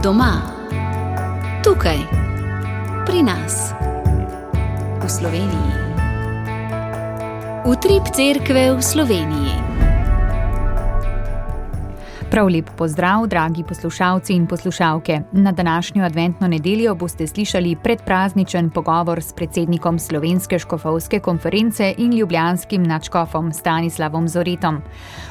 Doma, tukaj, pri nas, v Sloveniji. Utrip cerkve v Sloveniji. Prav lep pozdrav, dragi poslušalci in poslušalke. Na današnjo adventno nedeljo boste slišali predprazničen pogovor s predsednikom Slovenske škofovske konference in ljubljanskim nadškofom Stanislavom Zoretom.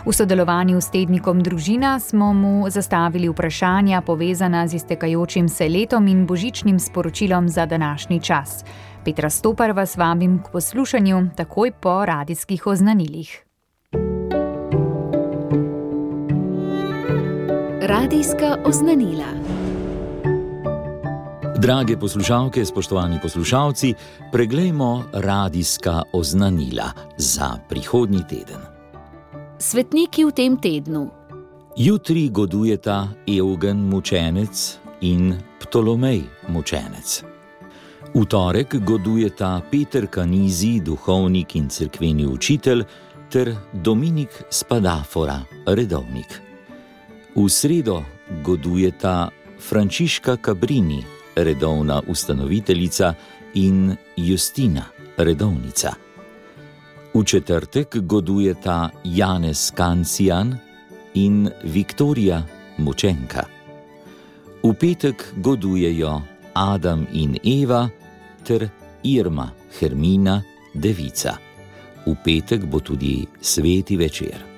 V sodelovanju s tednikom Družina smo mu zastavili vprašanja povezana z iztekajočim se letom in božičnim sporočilom za današnji čas. Petra Stopar vas vabim k poslušanju takoj po radijskih oznanilih. Radijska oznanila. Drage poslušalke, spoštovani poslušalci, preglejmo radijska oznanila za prihodnji teden. Svetniki v tem tednu. Jutri godujeta Evgen mučenec in Ptolomej mučenec. V torek godujeta Peter Kanizi, duhovnik in cerkveni učitelj, ter Dominik Spadafora, redovnik. V sredo godujeta Frančiška Cabrini, redovna ustanoviteljica, in Justina, redovnica. V četrtek godujeta Janez Kancijan in Viktorija, mučenka. V petek godujejo Adam in Eva ter Irma, Hermina, devica. V petek bo tudi sveti večer.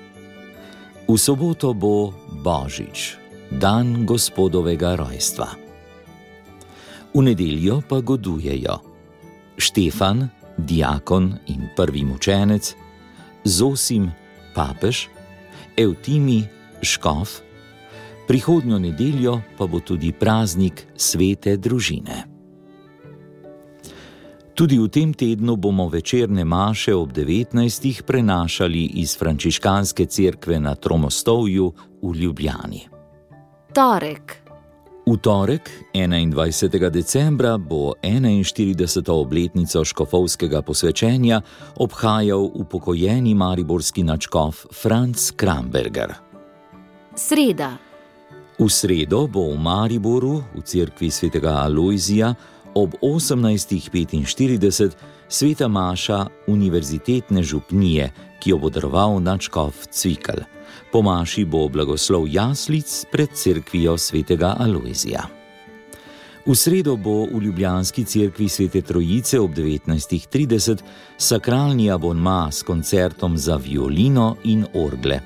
V soboto bo Božič, dan Gospodovega rojstva. V nedeljo pa godujejo Štefan, diakon in prvi mučenec, Zosim, papež, Evtimi, škof, prihodnjo nedeljo pa bo tudi praznik svete družine. Tudi v tem tednu bomo večerne maše ob 19. prenašali iz frančiškanske cerkve na Tromostovju v Ljubljani. Torek. V torek, 21. decembra, bo 41. obletnico škofovskega posvečenja obhajal upokojeni mariborski nadškof Franc Kramberger. Sreda. V sredo bo v Mariboru, v cerkvi svetega Alojzija, ob 18:45 sveta maša univerzitetne župnije, ki jo bo daroval nadškof Cvikl. Po maši bo blagoslov jaslic pred cerkvijo svetega Alojzija. V sredo bo v ljubljanski cerkvi Svete Trojice ob 19:30 sakralni abonma s koncertom za violino in orgle.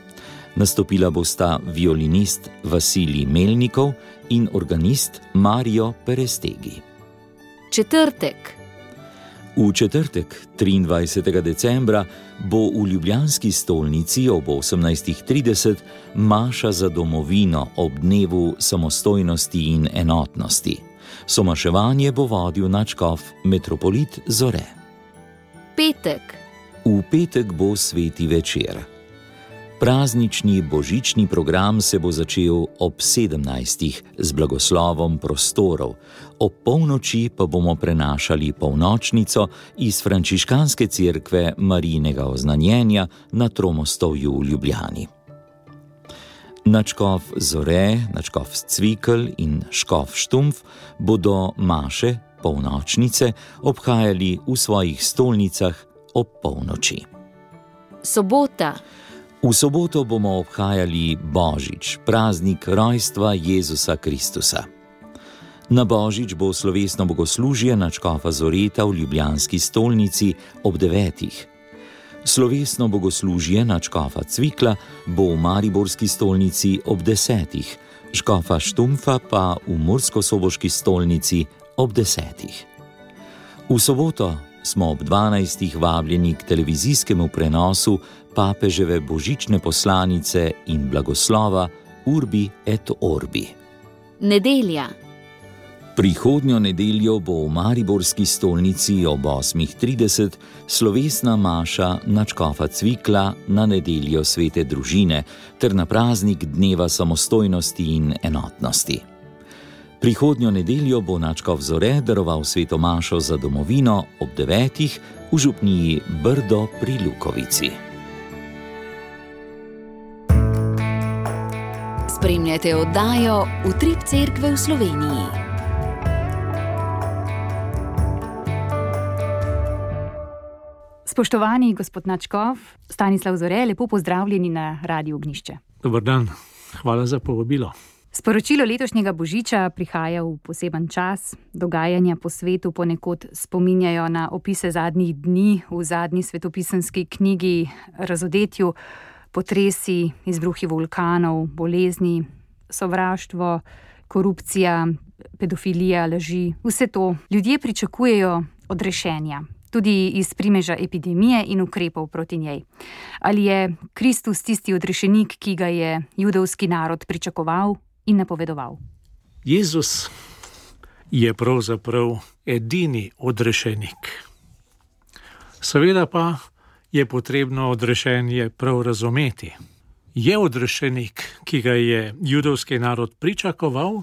Nastopila bosta violinist Vasilij Melnikov in organist Mario Perestegi. Četrtek. V četrtek, 23. decembra, bo v ljubljanski stolnici ob 18:30 maša za domovino ob dnevu samostojnosti in enotnosti. Somaševanje bo vodil nadškof metropolit Zore. Petek. V petek bo sveti večer. Praznični božični program se bo začel ob 17. z blagoslovom prostorov, ob polnoči pa bomo prenašali polnočnico iz frančiškanske cerkve Marijinega oznanjenja na Tromostovju v Ljubljani. Nadškof Zore, nadškof Cvikl in škof Štumpf bodo maše, polnočnice, obhajali v svojih stolnicah ob polnoči. Sobota. V soboto bomo obhajali Božič, praznik rojstva Jezusa Kristusa. Na Božič bo slovesno bogoslužje nadškofa Zoreta v ljubljanski stolnici ob 9. Slovesno bogoslužje nadškofa Cvikla bo v mariborski stolnici ob 10. škofa Štumpfa pa v murskosoboški stolnici ob 10. V soboto smo ob 12. vabljeni k televizijskemu prenosu papeževe božične poslanice in blagoslova Urbi et Orbi. Nedelja. Prihodnjo nedeljo bo v mariborski stolnici ob 8:30 slovesna maša nadškofa Cvikla na nedeljo svete družine ter na praznik dneva samostojnosti in enotnosti. Prihodnjo nedeljo bo nadškof Zore daroval sveto mašo za domovino ob 9. v župniji Brdo pri Lukovici. Spremljate oddajo Utrip Cerkve v Sloveniji. Spoštovani gospod Načkov, Stanislav Zore, lepo pozdravljeni na Radiu Ognjišče. Dober dan, hvala za povabilo. Sporočilo letošnjega božiča prihaja v poseben čas. Dogajanja po svetu ponekod spominjajo na opise zadnjih dni v zadnji svetopisemski knjigi Razodetju, potresi, izbruhi vulkanov, bolezni, sovraštvo, korupcija, pedofilija, laži. Vse to ljudje pričakujejo odrešenja, tudi iz primeža epidemije in ukrepov proti njej. Ali je Kristus tisti odrešenik, ki ga je judovski narod pričakoval in napovedoval? Jezus je pravzaprav edini odrešenik. Seveda pa je potrebno odrešenje prav razumeti. Je odrešenik, ki ga je judovski narod pričakoval,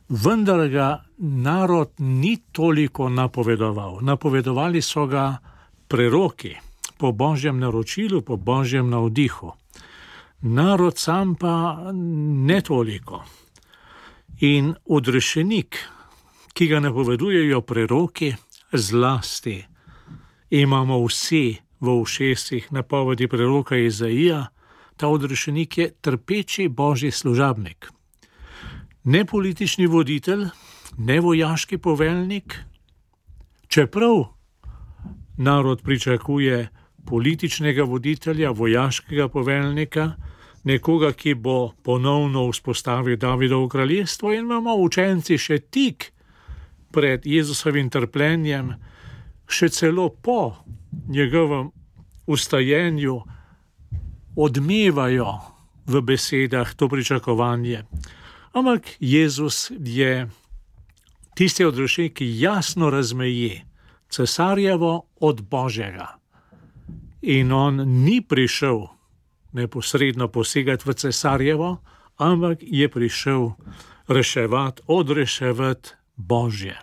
vendar ga narod ni toliko napovedoval. Napovedovali so ga preroki po božjem naročilu, po božjem navdihu. Narod sam pa ne toliko. In odrešenik, ki ga napovedujejo preroki, zlasti imamo vsi v ušesih napovedi preroka Izaija, ta odrešenik je trpeči božji služabnik. Ne politični voditelj, ne vojaški poveljnik, čeprav narod pričakuje političnega voditelja, vojaškega poveljnika, nekoga, ki bo ponovno vzpostavil Davidovo kraljestvo, in imamo učenci še tik pred Jezusovim trpljenjem, še celo po njegovem ustajenju odmevajo v besedah to pričakovanje. Ampak Jezus je tisti odrešenik, ki jasno razmeji cesarjevo od Božjega. In on ni prišel neposredno posegati v cesarjevo, ampak je prišel odreševati Božje.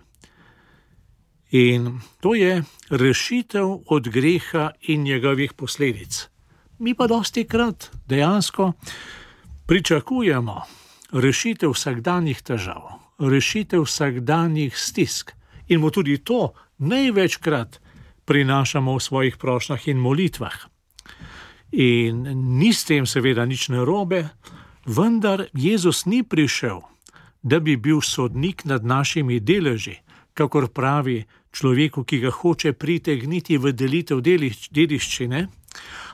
In to je rešitev od greha in njegovih posledic. Mi pa dostikrat dejansko pričakujemo rešitev vsakdanjih težav, rešitev vsakdanjih stisk. In mu tudi to največkrat prinašamo v svojih prošnjah in molitvah. In ni s tem seveda nič narobe, vendar Jezus ni prišel, da bi bil sodnik nad našimi deleži, kakor pravi človeku, ki ga hoče pritegniti v delitev dediščine,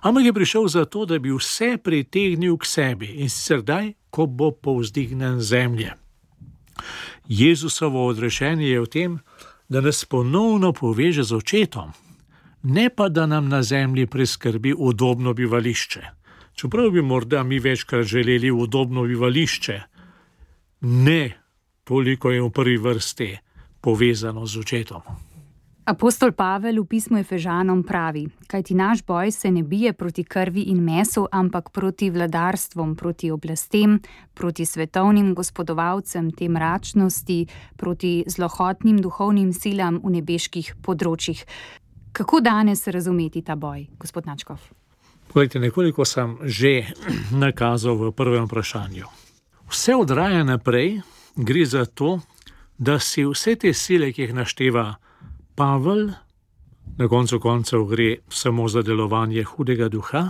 ampak je prišel zato, da bi vse pritegnil k sebi, in sicer daj, ko bo povzdignjen zemlje. Jezusovo odrešenje je v tem, da nas ponovno poveže z očetom, ne pa da nam na zemlji preskrbi udobno bivališče. Čeprav bi morda mi večkrat želeli udobno bivališče, ne toliko je v prvi vrsti povezano z očetom. Apostol Pavel v pismu Efežanom pravi: kajti naš boj se ne bije proti krvi in mesu, ampak proti vladarstvom, proti oblastem, proti svetovnim gospodovalcem te mračnosti, proti zlohotnim duhovnim silam v nebeških področjih. Kako danes razumeti ta boj, gospod Načkov? Poglejte, nekoliko sem že nakazal v prvem vprašanju. Vse od raja naprej gre za to, da si vse te sile, ki jih našteva Pavel, na koncu koncev gre samo za delovanje hudega duha,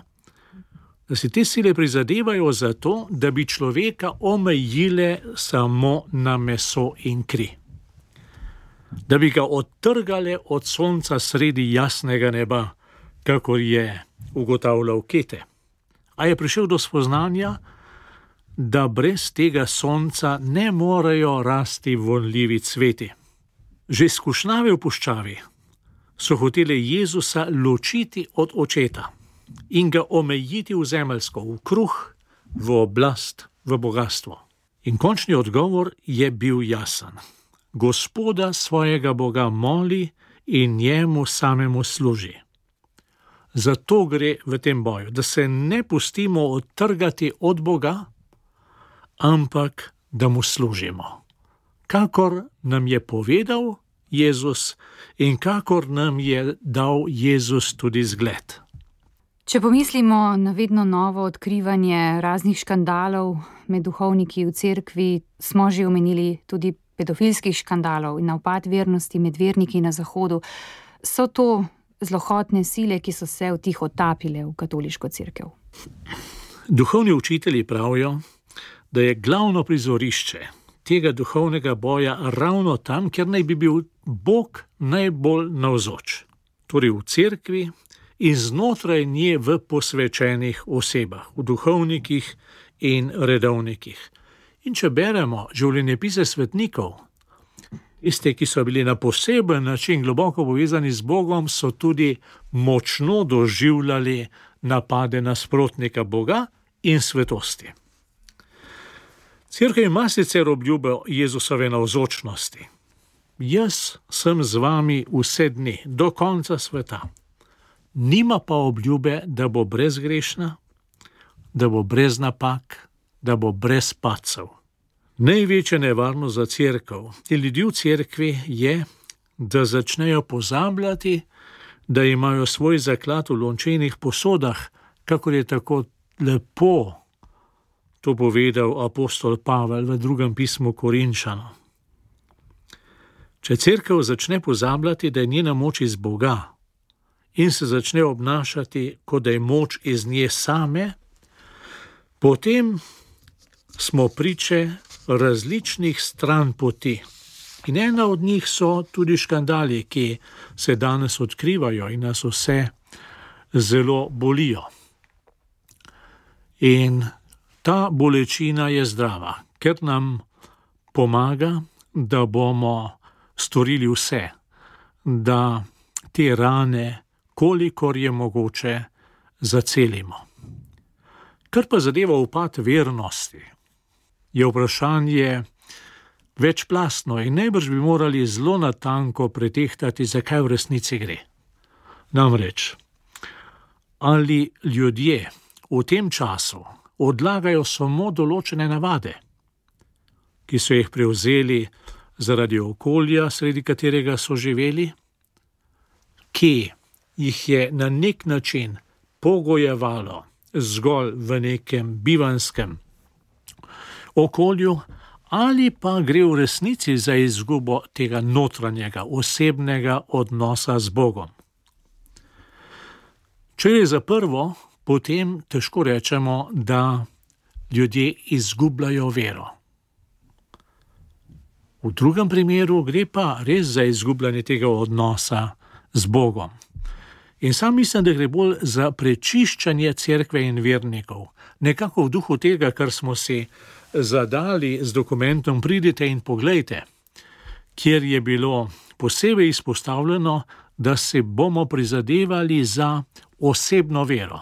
da si te sile prizadevajo za to, da bi človeka omejile samo na meso in kri. Da bi ga odtrgale od sonca sredi jasnega neba, kakor je ugotavljal Kete. A je prišel do spoznanja, da brez tega sonca ne morejo rasti vonljivi cveti. Že skušnjave v puščavi so hotele Jezusa ločiti od očeta in ga omejiti v zemeljsko, v kruh, v oblast, v bogastvo. In končni odgovor je bil jasen. Gospoda svojega Boga moli in njemu samemu služi. Zato gre v tem boju, da se ne pustimo odtrgati od Boga, ampak da mu služimo. Kakor nam je povedal Jezus in kakor nam je dal Jezus tudi zgled. Če pomislimo na vedno novo odkrivanje raznih škandalov med duhovniki v cerkvi, smo že omenili tudi pedofilskih škandalov in upad vernosti med verniki na Zahodu. So to zlohotne sile, ki so se vtihotapile v katoliško cerkev? Duhovni učitelji pravijo, da je glavno prizorišče tega duhovnega boja ravno tam, kjer naj bi bil Bog najbolj navzoč, torej v cerkvi in znotraj nje v posvečenih osebah, v duhovnikih in redovnikih. In če beremo življenjepise svetnikov, tiste, ki so bili na poseben način globoko povezani z Bogom, so tudi močno doživljali napade nasprotnika Boga in svetosti. Cerkev ima sicer obljubo Jezusove navzočnosti. Jaz sem z vami vse dni, do konca sveta. Nima pa obljube, da bo brezgrešna, da bo brez napak, da bo brez padcev. Največja nevarnost za cerkev in ljudi v cerkvi je, da začnejo pozabljati, da imajo svoj zaklad v lončenih posodah, kakor je tako lepo to povedal apostol Pavel v drugem pismu Korinčanom. Če cerkev začne pozabljati, da je njena moč iz Boga in se začne obnašati, kot da je moč iz nje same, potem smo priče različnih stran poti. In ena od njih so tudi škandali, ki se danes odkrivajo in nas vse zelo bolijo. In ta bolečina je zdrava, ker nam pomaga, da bomo storili vse, da te rane, kolikor je mogoče, zacelimo. Kar pa zadeva upad vernosti, je vprašanje večplastno in najbrž bi morali zelo natanko pretehtati, zakaj v resnici gre. Namreč, ali ljudje v tem času odlagajo samo določene navade, ki so jih prevzeli zaradi okolja, sredi katerega so živeli, ki jih je na nek način pogojevalo zgolj v nekem bivanskem okolju, ali pa gre v resnici za izgubo tega notranjega, osebnega odnosa z Bogom. Če je za prvo, potem težko rečemo, da ljudje izgubljajo vero. V drugem primeru gre pa res za izgubljanje tega odnosa z Bogom. In sam mislim, da gre bolj za prečiščanje cerkve in vernikov, nekako v duhu tega, kar smo si zadali z dokumentom Pridite in poglejte, kjer je bilo posebej izpostavljeno, da se bomo prizadevali za osebno vero.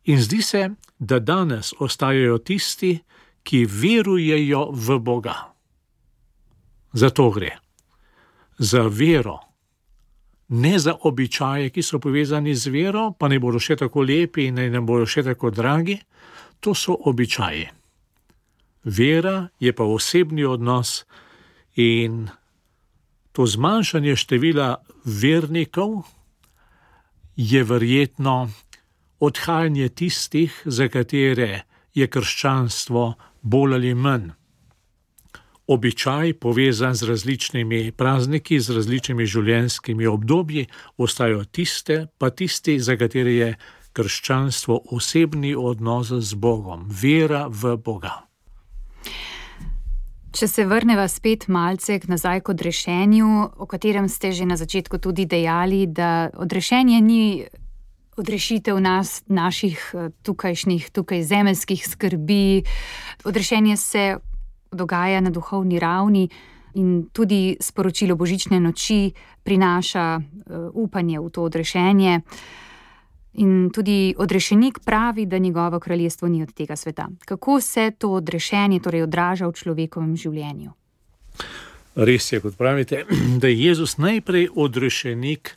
In zdi se, da danes ostajajo tisti, ki verujejo v Boga. Zato gre. Za vero. Ne za običaje, ki so povezani z vero, pa ne bodo še tako lepi in ne bodo še tako dragi. To so običaji. Vera je pa osebni odnos in to zmanjšanje števila vernikov je verjetno odhajanje tistih, za katere je krščanstvo bolj ali manj običaj povezan z različnimi prazniki, z različnimi življenjskimi obdobji, ostajajo tisti, za katere je krščanstvo osebni odnos z Bogom, vera v Boga. Če se vrneva spet malce nazaj k odrešenju, o katerem ste že na začetku tudi dejali, da odrešenje ni odrešitev naših tukaj zemeljskih skrbi. Odrešenje se dogaja na duhovni ravni in tudi sporočilo božične noči prinaša upanje v to odrešenje. In tudi odrešenik pravi, da njegovo kraljestvo ni od tega sveta. Kako se to odrešenje torej odraža v človekovem življenju? Res je, kot pravite, da je Jezus najprej odrešenik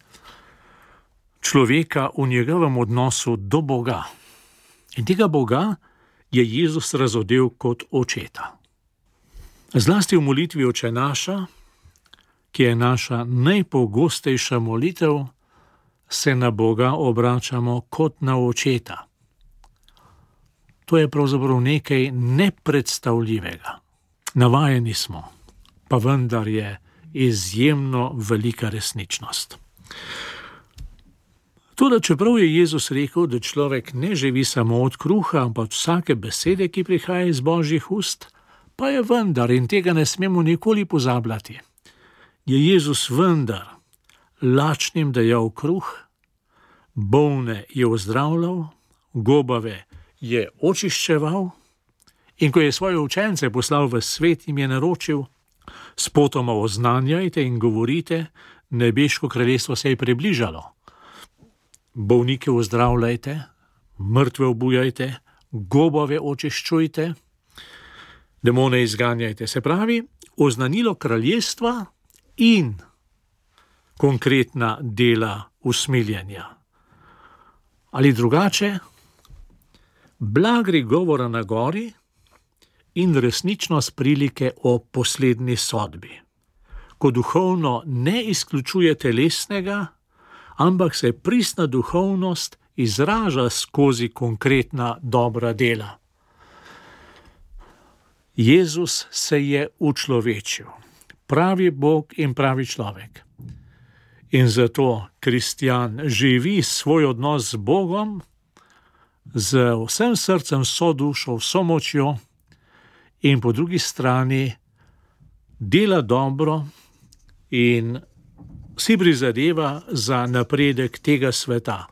človeka v njegovem odnosu do Boga. In tega Boga je Jezus razodel kot očeta. Zlasti v molitvi Oče naša, ki je naša najpogostejša molitev, se na Boga obračamo kot na očeta. To je pravzaprav nekaj nepredstavljivega. Navajeni smo, pa vendar je izjemno velika resničnost. Toda čeprav je Jezus rekel, da človek ne živi samo od kruha, ampak od vsake besede, ki prihaja iz Božjih ust, pa je vendar, in tega ne smemo nikoli pozabljati, je Jezus vendar lačnim dajal kruh, bolne je ozdravljal, gobave je očiščeval, in ko je svoje učence poslal v svet, jim je naročil: spotoma oznanjajte in govorite, nebeško kraljestvo se je približalo. Bolnike ozdravljajte, mrtve obujajte, gobave očiščujte, demone izganjajte. Se pravi, oznanilo kraljestva in konkretna dela usmiljenja. Ali drugače, blagri govora na gori in resničnost prilike o poslednji sodbi, ko duhovno ne izključuje telesnega, ampak se pristna duhovnost izraža skozi konkretna dobra dela. Jezus se je učlovečil, pravi Bog in pravi človek. In zato kristjan živi svoj odnos z Bogom z vsem srcem, vso dušo, vso močjo, in po drugi strani dela dobro in si prizadeva za napredek tega sveta,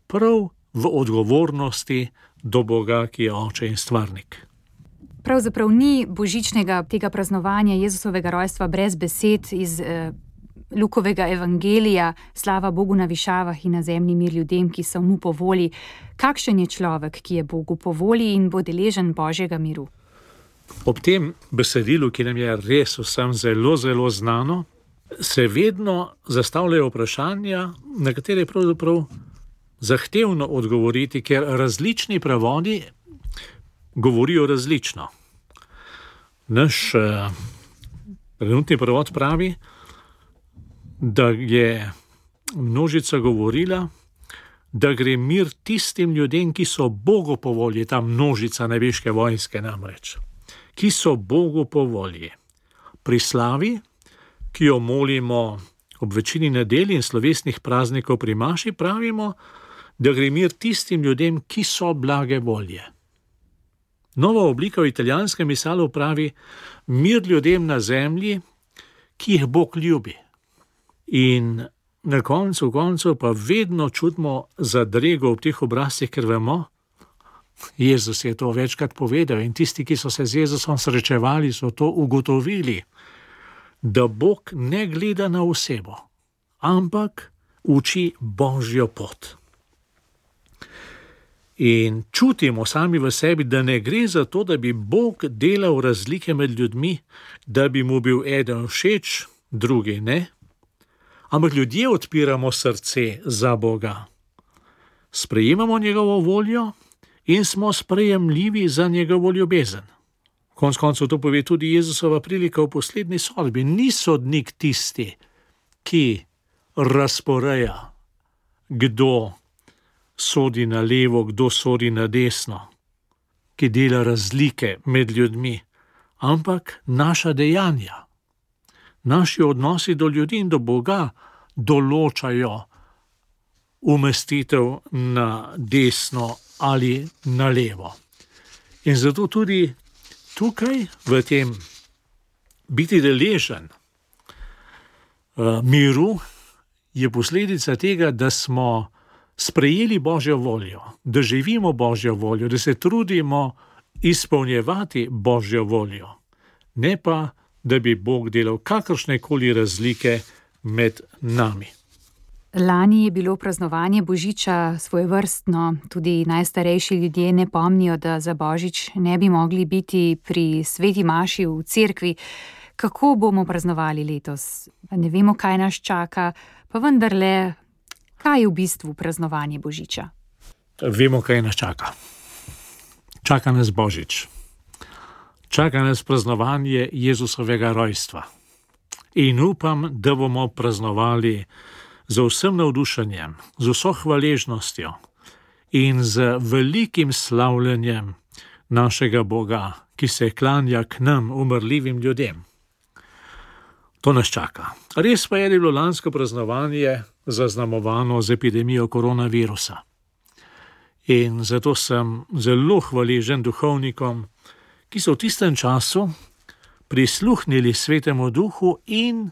prav v odgovornosti do Boga, ki je Oče in Stvarnik. Pravzaprav ni božičnega tega praznovanja Jezusovega rojstva brez besed iz Lukovega evangelija: slava Bogu na višavah in na zemlji mir ljudem, ki so mu po volji. Kakšen je človek, ki je Bogu po volji in bo deležen Božjega miru? Ob tem besedilu, ki nam je res vsem zelo, zelo znano, se vedno zastavljajo vprašanja, na katere je pravzaprav zahtevno odgovoriti, ker različni prevodi govorijo različno. Naš trenutni prevod pravi, da je množica govorila, da gre mir tistim ljudem, ki so Bogu po volji, ta množica nebeške vojske namreč, ki so Bogu po volji. Pri slavi, ki jo molimo ob večini nedelj in slovesnih praznikov pri maši, pravimo, da gre mir tistim ljudem, ki so blage volje. Nova oblika v italijanskem misalu pravi: mir ljudem na zemlji, ki jih Bog ljubi. In na koncu pa vedno čutimo zadrego ob teh obrazcih, ker vemo, Jezus je to večkrat povedal in tisti, ki so se z Jezusom srečevali, so to ugotovili, da Bog ne gleda na osebo, ampak uči Božjo pot. In čutimo sami v sebi, da ne gre za to, da bi Bog delal razlike med ljudmi, da bi mu bil eden všeč, drugi ne, ampak ljudje odpiramo srce za Boga. Sprejemamo njegovo voljo in smo sprejemljivi za njegovo ljubezen. Konec koncev to pove tudi Jezusova prilika v poslednji sodbi. Ni sodnik tisti, ki razporeja, kdo sodi na levo, kdo sodi na desno, ki dela razlike med ljudmi, ampak naša dejanja, naši odnosi do ljudi in do Boga določajo umestitev na desno ali na levo. In zato tudi tukaj, v tem biti deležen miru, je posledica tega, da smo sprejeli Božjo voljo, da živimo Božjo voljo, da se trudimo izpolnjevati Božjo voljo, ne pa, da bi Bog delal kakršnekoli razlike med nami. Lani je bilo praznovanje Božiča svojevrstno, tudi najstarejši ljudje ne pomnijo, da za Božič ne bi mogli biti pri sveti maši v cerkvi. Kako bomo praznovali letos? Ne vemo, kaj nas čaka, pa vendarle, kaj je v bistvu praznovanje Božiča? Vemo, kaj nas čaka. Čaka nas Božič. Čaka nas praznovanje Jezusovega rojstva. In upam, da bomo praznovali z vsem navdušenjem, z vso hvaležnostjo in z velikim slavljenjem našega Boga, ki se klanja k nam, umrljivim ljudem. To nas čaka. Res pa je bilo lansko praznovanje zaznamovano z epidemijo koronavirusa. In zato sem zelo hvaležen duhovnikom, ki so v tistem času prisluhnili Svetemu Duhu in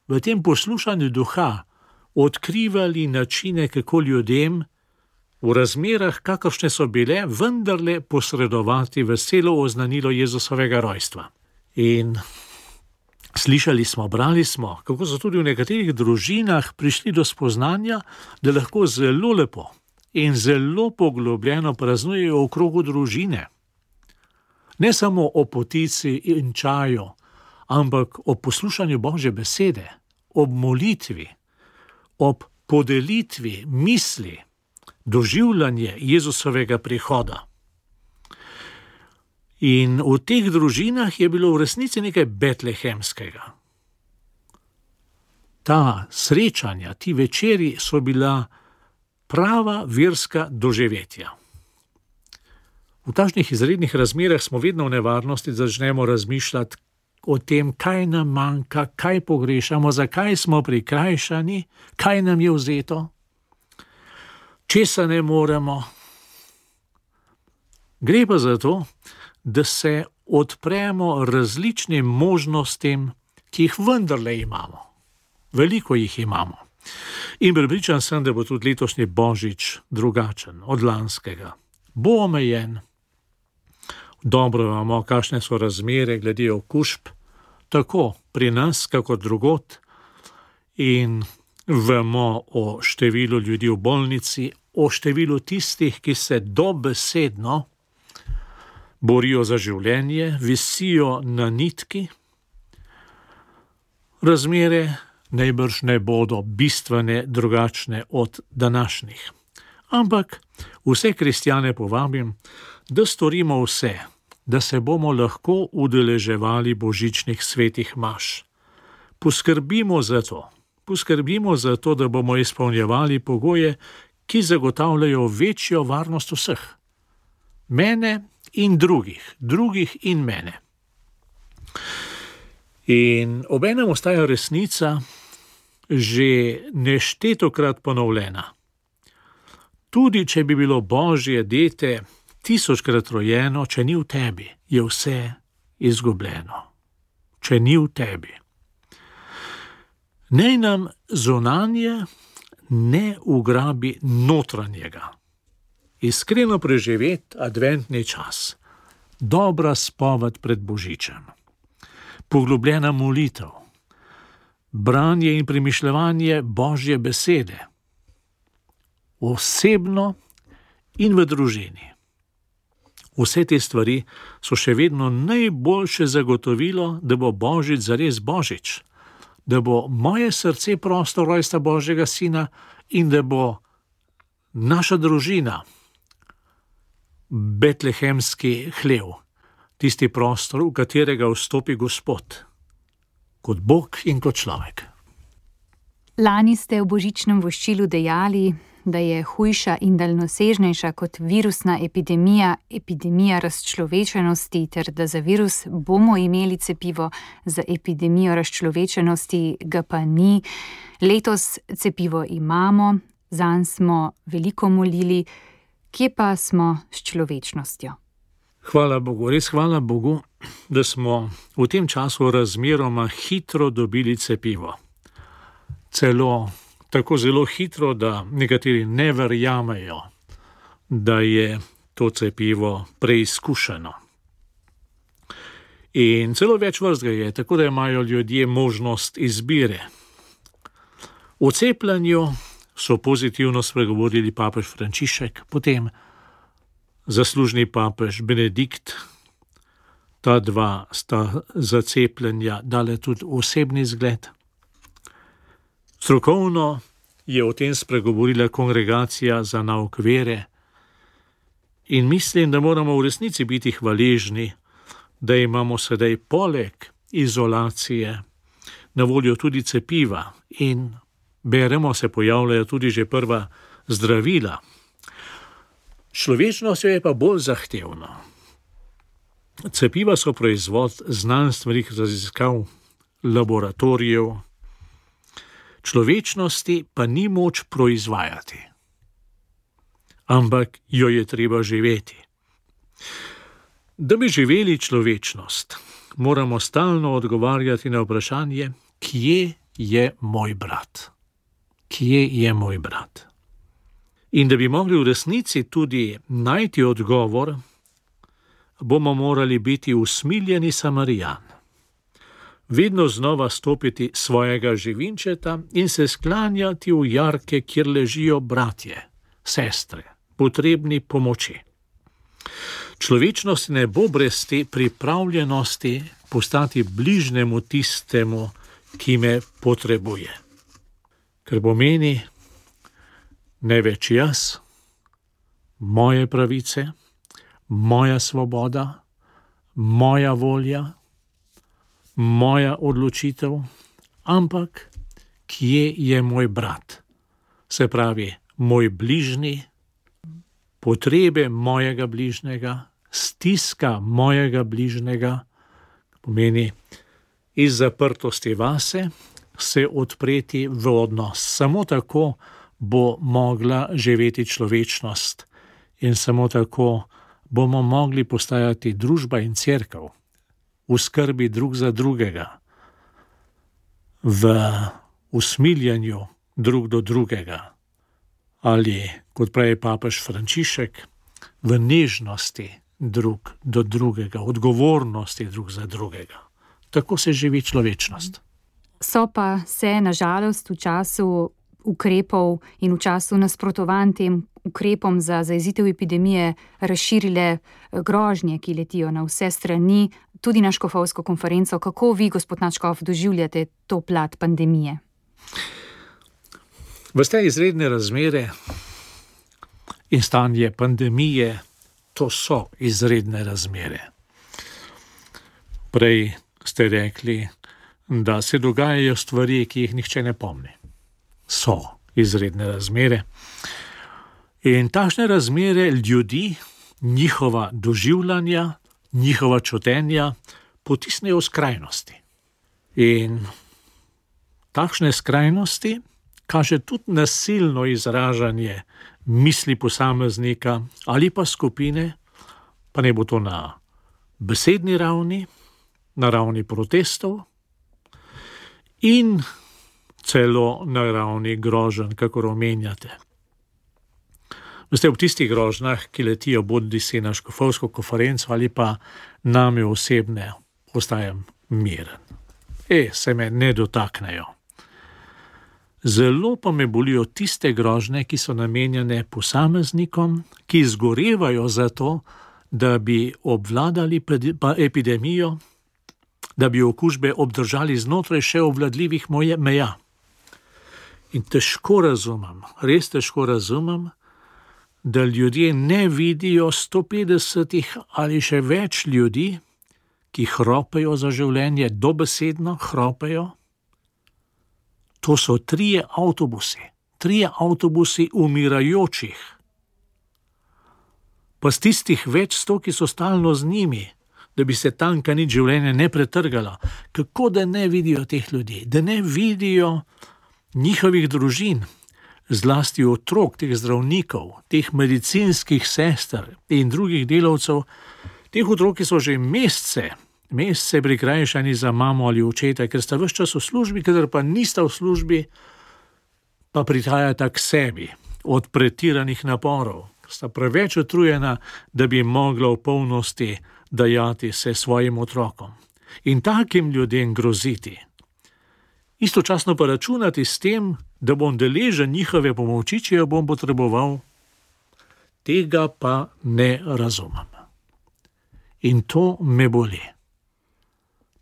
v tem poslušanju Duha odkrivali načine, kako ljudem v razmerah, kakršne so bile, vendarle posredovati veselo oznanilo Jezusovega rojstva. In slišali smo, brali smo, kako so tudi v nekaterih družinah prišli do spoznanja, da lahko zelo lepo in zelo poglobljeno praznujejo v krogu družine. Ne samo o potici in čaju, ampak o poslušanju Božje besede, ob molitvi, ob podelitvi misli, doživljanje Jezusovega prihoda. In v teh družinah je bilo v resnici nekaj betlehemskega. Ta srečanja, ti večeri so bila prava verska doživetja. V takšnih izrednih razmerah smo vedno v nevarnosti, da začnemo razmišljati o tem, kaj nam manjka, kaj pogrešamo, zakaj smo prikrajšani, kaj nam je vzeto, česa ne moremo. Gre pa za to, da se odpremo različnim možnostim, ki jih vendarle imamo. Veliko jih imamo. In prepričan sem, da bo tudi letošnji Božič drugačen od lanskega. Bo omejen. Dobro vemo, kakšne so razmere glede okužb, tako pri nas, kakor drugod. In vemo o številu ljudi v bolnici, o številu tistih, ki se dobesedno borijo za življenje, visijo na nitki. Razmere najbrž ne bodo bistvene drugačne od današnjih. Ampak vse kristjane povabim, da storimo vse, da se bomo lahko udeleževali božičnih svetih maš. Poskrbimo za to, da bomo izpolnjevali pogoje, ki zagotavljajo večjo varnost vseh. Mene in drugih in mene. In obenem ostaja resnica že neštetokrat ponovljena. Tudi če bi bilo Božje dete 1000-krat rojeno, če ni v tebi, je vse izgubljeno. Če ni v tebi. Naj nam zunanje ne ugrabi notranjega. Iskreno preživeti adventni čas, dobra spoved pred Božičem, poglobljena molitev, branje in premišljevanje Božje besede, osebno in v družini. Vse te stvari so še vedno najboljše zagotovilo, da bo Božič zares Božič, da bo moje srce prostor rojstva Božjega Sina in da bo naša družina betlehemski hlev, tisti prostor, v katerega vstopi Gospod, kot Bog in kot človek. Lani ste v božičnem voščilu dejali, da je hujša in daljnosežnejša kot virusna epidemija razčlovečenosti, ter da za virus bomo imeli cepivo, za epidemijo razčlovečenosti ga pa ni. Letos cepivo imamo, zanj smo veliko molili, kje pa smo s človečnostjo? Hvala Bogu, res hvala Bogu, da smo v tem času razmeroma hitro dobili cepivo. Celo tako zelo hitro, da nekateri ne verjamejo, da je to cepivo preizkušeno. In celo več vrst ga je, tako da imajo ljudje možnost izbire. O cepljenju so pozitivno spregovorili papež Frančišek, potem zaslužni papež Benedikt. Ta dva sta za cepljenja dale tudi osebni zgled. Strokovno je o tem spregovorila Kongregacija za nauk vere in mislim, da moramo v resnici biti hvaležni, da imamo sedaj poleg izolacije na voljo tudi cepiva in beremo, se pojavljajo tudi že prva zdravila. Človečnost je pa bolj zahtevna. Cepiva so proizvod znanstvenih raziskav, laboratorijev, človečnosti pa ni moč proizvajati, ampak jo je treba živeti. Da bi živeli človečnost, moramo stalno odgovarjati na vprašanje, kje je moj brat? Kje je moj brat? In da bi mogli v resnici tudi najti odgovor, bomo morali biti usmiljeni Samarijan. Vedno znova stopiti svojega živinčeta in se sklanjati v jarke, kjer ležijo bratje, sestre, potrebni pomoči. Človečnost ne bo brez te pripravljenosti postati bližnjemu tistemu, ki me potrebuje. Ker pomeni ne več jaz, moje pravice, moja svoboda, moja volja, moja odločitev, ampak kje je moj brat? Se pravi, moj bližnji, potrebe mojega bližnjega, stiska mojega bližnjega, pomeni iz zaprtosti vase se odpreti v odnos. Samo tako bo mogla živeti človečnost in samo tako bomo mogli postajati družba in cerkev v skrbi drug za drugega, v usmiljanju drug do drugega ali, kot pravi papež Frančišek, v nežnosti drug do drugega, odgovornosti drug za drugega. Tako se živi človečnost. So pa se, nažalost, v času ukrepov in v času nasprotovanj tem ukrepom za zajezitev epidemije razširile grožnje, ki letijo na vse strani, tudi na škofovsko konferenco. Kako vi, gospod nadškof, doživljate to plat pandemije? Veste, izredne razmere in stanje pandemije, to so izredne razmere. Prej ste rekli, da se dogajajo stvari, ki jih nihče ne pomni. So izredne razmere. In takšne razmere ljudi, njihova doživljanja, njihova čutenja potisnejo v skrajnosti. In takšne skrajnosti kaže tudi nasilno izražanje misli posameznika ali pa skupine, pa ne bo to na besedni ravni, na ravni protestov in celo na ravni groženj, kakor omenjate. Veste, ob tistih grožnjah, ki letijo bodisi na škofovsko konferenco ali pa name osebne, ostajam miren. Se me ne dotaknejo. Zelo pa me bolijo tiste grožnje, ki so namenjene posameznikom, ki zgorevajo za to, da bi obvladali epidemijo, da bi okužbe obdržali znotraj še obvladljivih meja. In težko razumem, res težko razumem, da ljudje ne vidijo 150 ali še več ljudi, ki hropejo za življenje, dobesedno hropejo. To so 3 avtobusi umirajočih. Pa z tistih več 100, ki so stalno z njimi, da bi se tanka nič življenje ne pretrgala. Kako da ne vidijo teh ljudi, da ne vidijo njihovih družin, zlasti otrok, teh zdravnikov, teh medicinskih sester in drugih delavcev, teh otrok, ki so že mesece prikrajšani za mamo ali očeta, ker sta ves čas v službi, kadar pa nista v službi, pa prihajata k sebi od pretiranih naporov. Sta preveč utrujena, da bi mogla v polnosti dajati se svojim otrokom. In takim ljudem groziti. Istočasno pa računati s tem, da bom deležen njihove pomoči, če jo bom potreboval, tega pa ne razumem. In to me boli.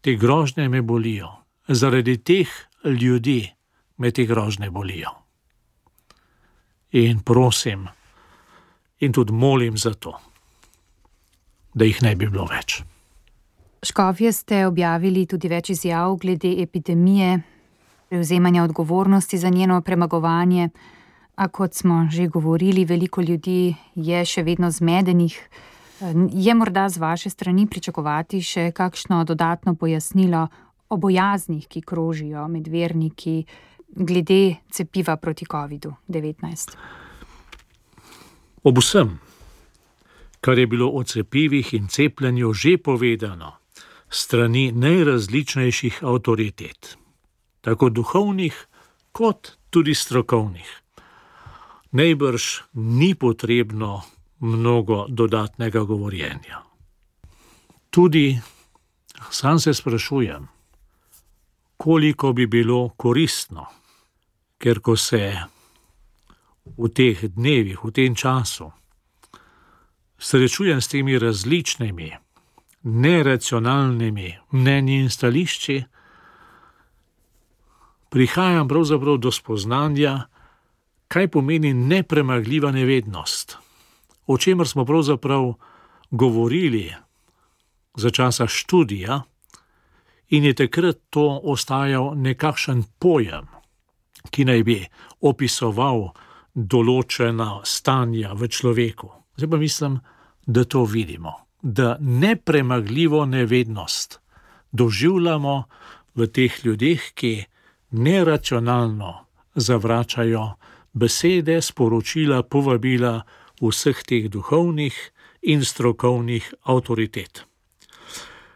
Te grožnje me bolijo. Zaradi teh ljudi me te grožnje bolijo. In prosim, in tudi molim za to, da jih ne bi bilo več. Škofje, ste objavili tudi več izjav glede epidemije. prevzemanja odgovornosti za njeno premagovanje, a kot smo že govorili, veliko ljudi je še vedno zmedenih. Je morda z vaše strani pričakovati še kakšno dodatno pojasnilo o bojaznih, ki krožijo med verniki glede cepiva proti COVID-19? Ob vsem, kar je bilo o cepivih in cepljenju že povedano strani najrazličnejših avtoritet, tako duhovnih kot tudi strokovnih, najbrž ni potrebno mnogo dodatnega govorjenja. Tudi sam se sprašujem, koliko bi bilo koristno, ker ko se v teh dnevih, v tem času srečujem s temi različnimi, neracionalnimi mnenji in stališči, prihajam pravzaprav do spoznanja, kaj pomeni nepremagljiva nevednost, o čemer smo pravzaprav govorili za časa študija in je takrat to ostajal nekakšen pojem, ki naj bi opisoval določena stanja v človeku. Zdaj pa mislim, da to vidimo, da nepremagljivo nevednost doživljamo v teh ljudeh, ki neracionalno zavračajo besede, sporočila, povabila vseh teh duhovnih in strokovnih avtoritet.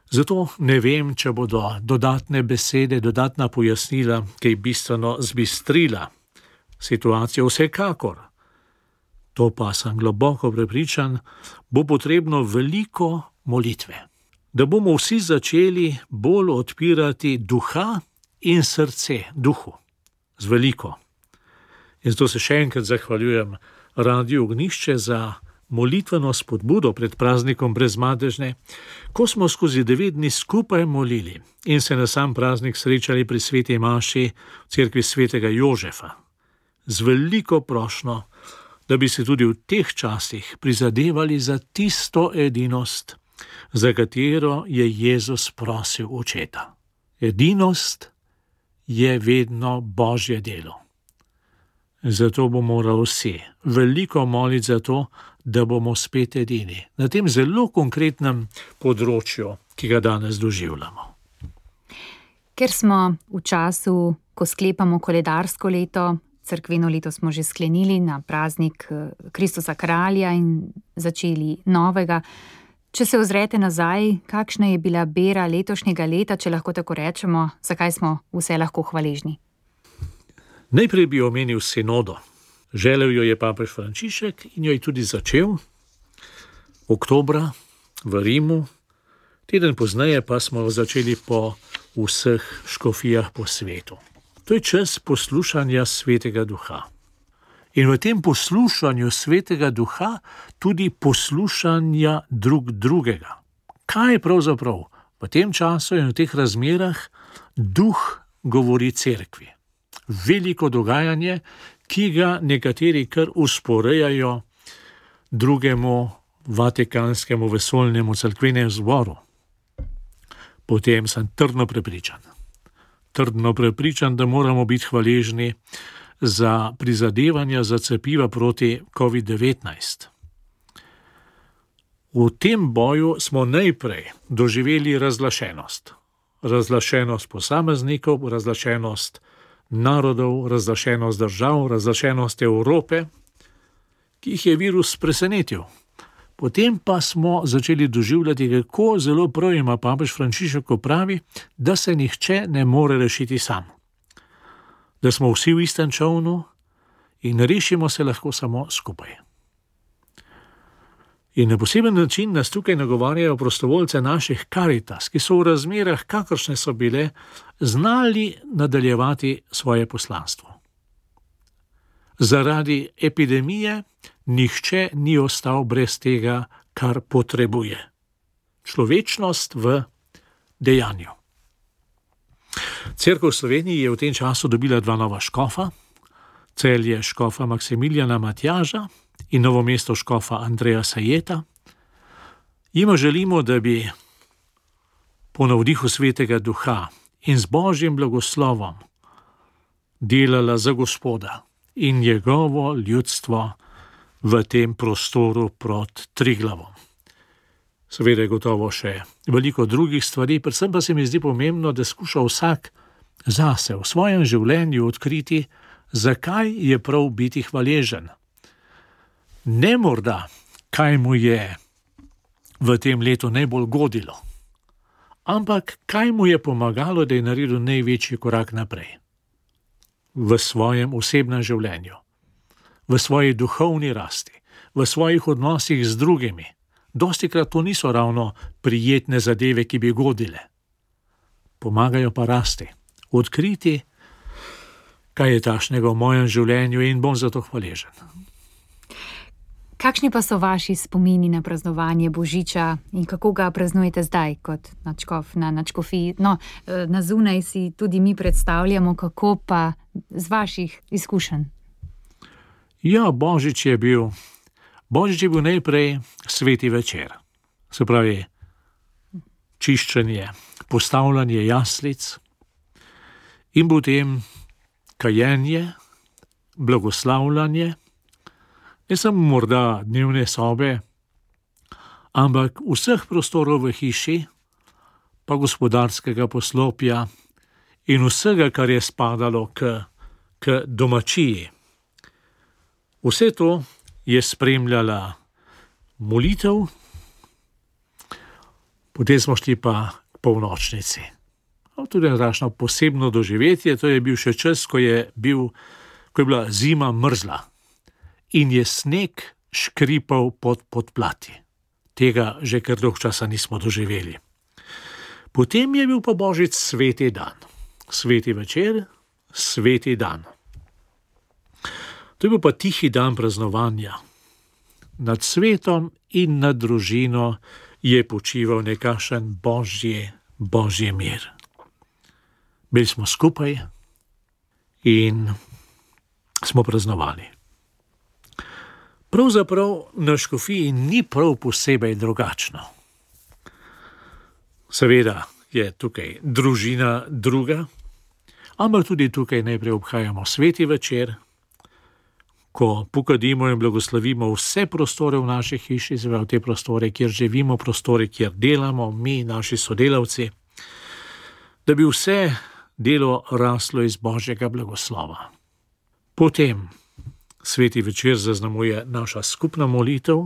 Zato ne vem, če bodo dodatne besede, dodatna pojasnila, ki je bistveno zbistrila situacijo. Vsekakor, to pa sem globoko prepričan, bo potrebno veliko molitve, da bomo vsi začeli bolj odpirati duha in srce duhu, z veliko. In zato se še enkrat zahvaljujem Radiu Ognjišče za molitveno spodbudo pred praznikom Brezmadežne, ko smo skozi 9 dni skupaj molili in se na sam praznik srečali pri sveti maši v cerkvi svetega Jožefa, z veliko prošnjo, da bi se tudi v teh časih prizadevali za tisto edinost, za katero je Jezus prosil Očeta. Edinost je vedno Božje delo. Zato bomo morali vsi veliko moliti za to, da bomo spet edini na tem zelo konkretnem področju, ki ga danes doživljamo. Ker smo v času, ko sklepamo koledarsko leto, cerkveno leto smo že sklenili na praznik Kristusa Kralja in začeli novega. Če se ozrete nazaj, kakšna je bila bera letošnjega leta, če lahko tako rečemo, zakaj smo vse lahko hvaležni? Najprej bi omenil sinodo. Želel jo je papež Frančišek in jo je tudi začel oktobra v Rimu. Teden pozneje pa smo jo začeli po vseh škofijah po svetu. To je čas poslušanja Svetega Duha. In v tem poslušanju Svetega Duha tudi poslušanja drugega. Kaj pravzaprav v tem času in v teh razmerah Duh govori cerkvi? Veliko dogajanje, ki ga nekateri kar usporejajo drugemu vatikanskemu vesoljnemu cerkvenemu zboru. Potem sem trdno prepričan, da moramo biti hvaležni za prizadevanja za cepiva proti COVID-19. V tem boju smo najprej doživeli razlašenost. Razlašenost posameznikov, razlašenost narodov, razlašenost držav, razlašenost Evrope, ki jih je virus presenetil. Potem pa smo začeli doživljati, kako zelo prav ima papež Frančišek, ko pravi, da se nihče ne more rešiti sam. Da smo vsi v istem čolnu in rešimo se lahko samo skupaj. In na poseben način nas tukaj nagovarjajo prostovoljce naših Karitas, ki so v razmerah, kakršne so bile, znali nadaljevati svoje poslanstvo. Zaradi epidemije nihče ni ostal brez tega, kar potrebuje. Človečnost v dejanju. Cerkev v Sloveniji je v tem času dobila 2 nova škofa, Celje škofa Maksimiljana Matjaža in Novo mesto škofa Andreja Sajeta. Jima želimo, da bi po navdihu Svetega Duha in z Božjim blagoslovom delala za Gospoda in njegovo ljudstvo v tem prostoru pod Triglavom. Seveda je gotovo še veliko drugih stvari, predvsem pa se mi zdi pomembno, da skuša vsak zase v svojem življenju odkriti, zakaj je prav biti hvaležen. Ne morda, kaj mu je v tem letu najbolj godilo, ampak kaj mu je pomagalo, da je naredil največji korak naprej. V svojem osebnem življenju, v svoji duhovni rasti, v svojih odnosih z drugimi. Dostikrat to niso ravno prijetne zadeve, ki bi godile. Pomagajo pa rasti, odkriti, kaj je takšnega v mojem življenju in bom za to hvaležen. Kakšni pa so vaši spomini na praznovanje Božiča in kako ga praznujete zdaj kot nadškof na nadškofiji? No, na zunaj si tudi mi predstavljamo, kako pa z vaših izkušenj. Ja, Božič je bil najprej sveti večer. Se pravi, čiščenje, postavljanje jaslic in potem kajenje, blagoslavljanje, ne samo morda dnevne sobe, ampak vseh prostorov v hiši, pa gospodarskega poslopja in vsega, kar je spadalo k domačiji. Vse to je spremljala molitev, potem smo šli pa k polnočnici. Tudi takšno posebno doživetje, to je bil še čas, ko je bila zima mrzla in je sneg škripal pod podplati. Tega že kar dolgo časa nismo doživeli. Potem je bil pa Božič sveti dan. Sveti večer, sveti dan. To je bil pa tihi dan praznovanja. Nad svetom in nad družino je počival nekakšen božji mir. Bili smo skupaj in smo praznovali. Pravzaprav na škofiji ni prav posebej drugačno. Seveda je tukaj družina druga, ampak tudi tukaj najprej obhajamo sveti večer, ko pokadimo in blagoslovimo vse prostore v naši hiši, te prostore, kjer živimo, prostore, kjer delamo, mi, naši sodelavci, da bi vse delo raslo iz Božjega blagoslova. Potem sveti večer zaznamuje naša skupna molitev,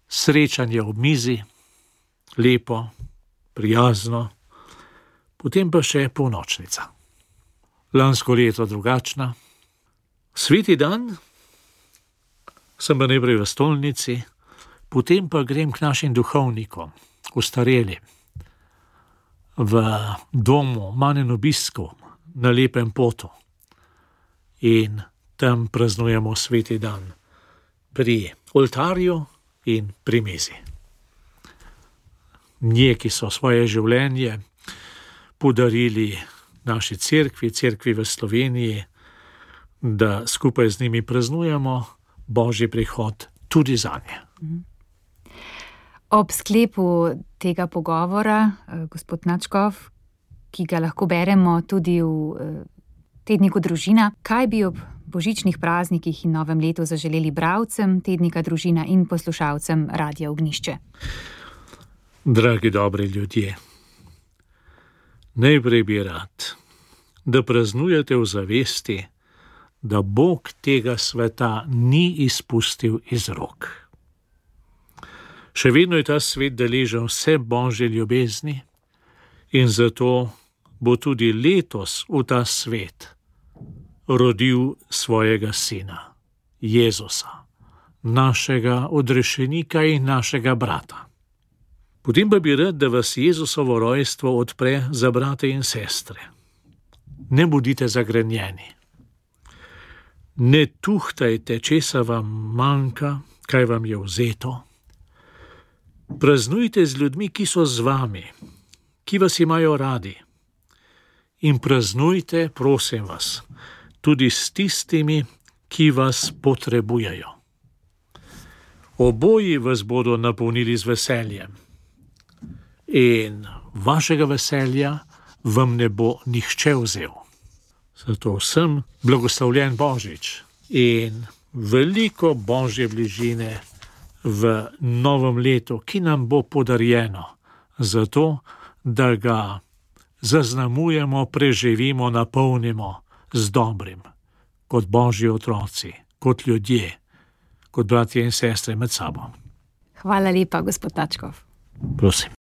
srečanje ob mizi, lepo, prijazno, potem pa še polnočnica. Lansko leto drugačna. Sveti dan sem pa najprej v stolnici, potem pa grem k našim duhovnikom, ostarelim, v domu Manjen obiskov na Lepem potu in tam praznujemo sveti dan pri oltarju in pri mizi. Neki so svoje življenje podarili naši cerkvi v Sloveniji, da skupaj z njimi praznujemo Božji prihod tudi zanje. Ob sklepu tega pogovora, gospod nadškof, ki ga lahko beremo tudi v tedniku Družina, kaj bi ob božičnih praznikih in novem letu zaželeli bralcem tednika Družina in poslušalcem Radia Ognjišče? Dragi dobri ljudje, najprej bi rad, da praznujete v zavesti, da Bog tega sveta ni izpustil iz rok. Še vedno je ta svet deležen vse Božje ljubezni in zato bo tudi letos v ta svet rodil svojega sina, Jezusa, našega odrešenika in našega brata. Potem pa bi rad, da vas Jezusovo rojstvo odpre za brate in sestre. Ne bodite zagrenjeni. Ne tuhtajte, česa vam manjka, kaj vam je vzeto. Praznujte z ljudmi, ki so z vami, ki vas imajo radi. In praznujte, prosim vas, tudi s tistimi, ki vas potrebujejo. Oboji vas bodo napolnili z veseljem. In vašega veselja vam ne bo nihče vzel. Zato vsem blagoslovljen Božič in veliko božje bližine v novem letu, ki nam bo podarjeno, zato da ga zaznamujemo, preživimo, napolnimo z dobrim, kot božji otroci, kot ljudje, kot bratje in sestre med sabo. Hvala lepa, gospod Tačkov. Prosim.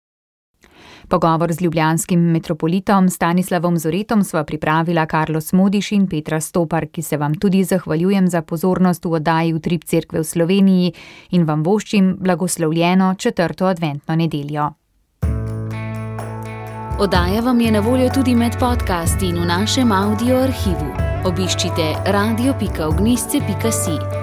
Pogovor z ljubljanskim metropolitom Stanislavom Zoretom sva pripravila Karlo Smodiš in Petra Stopar, ki se vam tudi zahvaljujem za pozornost v oddaji Utrip Cerkve v Sloveniji in vam voščim blagoslovljeno 4. adventno nedeljo. Oddaja vam je na voljo tudi med podcasti in v našem audio arhivu. Obiščite radio.ognisce.si.